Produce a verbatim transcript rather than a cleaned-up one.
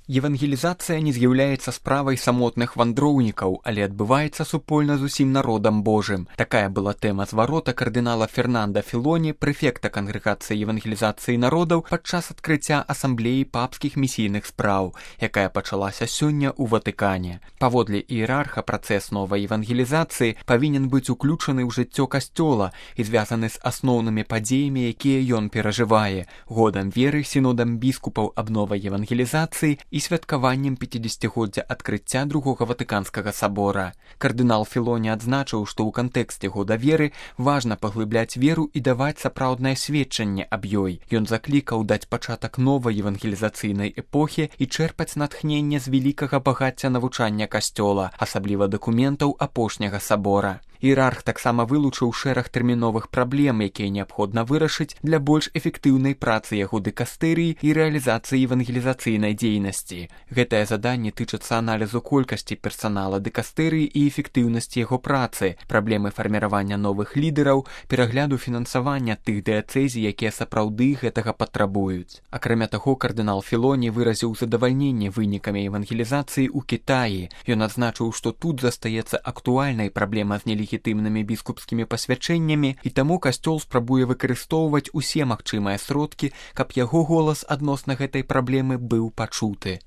Евангелізацыя не з'яўляецца справай самотных вандроўнікаў, але адбываецца супольна з усім народам Божым. Такая была тэма зварота кардынала Фернанда Філоні, прэфекта кангрэгацыі евангелізацыі народаў падчас адкрыцця асамблеі папскіх місійных спраў, якая пачалася сёння ў Ватыкане. Паводле іерарха, працэс новай евангелізацыі павінен быць уключаны ў жыццё касцёла і звязаны з асноўнымі падзеямі, якія ён перажывае, годам веры, сінодам біскупаў аб новай евангелізацыі і святкаваннем пяцідзесяцігоддзя адкрыцця другога Ватыканскага сабора. Кардынал Філоні адзначыў, што ў кантэксце года веры важна паглыбляць веру і даваць сапраўднае сведчанне аб ёй. Ён заклікаў даць пачатак новай евангелізацыйнай эпохі і чэрпаць натхненне з вялікага багацця навучання касцёла, асабліва дакументаў апошняга сабора. Іерарх таксама вылучыў шэраг тэрміновых праблем, якія неабходна вырашыць для больш эфектыўнай працы яго дыкастэрыі і рэалізацыі евангелізацыйнай дзейнасці. Гэтае заданне тычыцца аналізу колькасці персанала дыкастэрыі і эфектыўнасці яго працы, праблемы фарміравання новых лідараў, перагляду фінансавання тых дыяцэзій, якія сапраўды гэтага патрабуюць. Акрамя таго, кардынал Філоні выразіў задавальненне вынікамі евангелізацыі ў Кітаі. Ён адзначыў, што тут застаецца актуальнай праблема з нелегітымнымі легітымнымі біскупскімі пасвячэннямі, і таму касцёл спрабуе выкарыстоўваць усе магчымыя сродкі, каб яго голас адносна гэтай праблемы быў пачуты.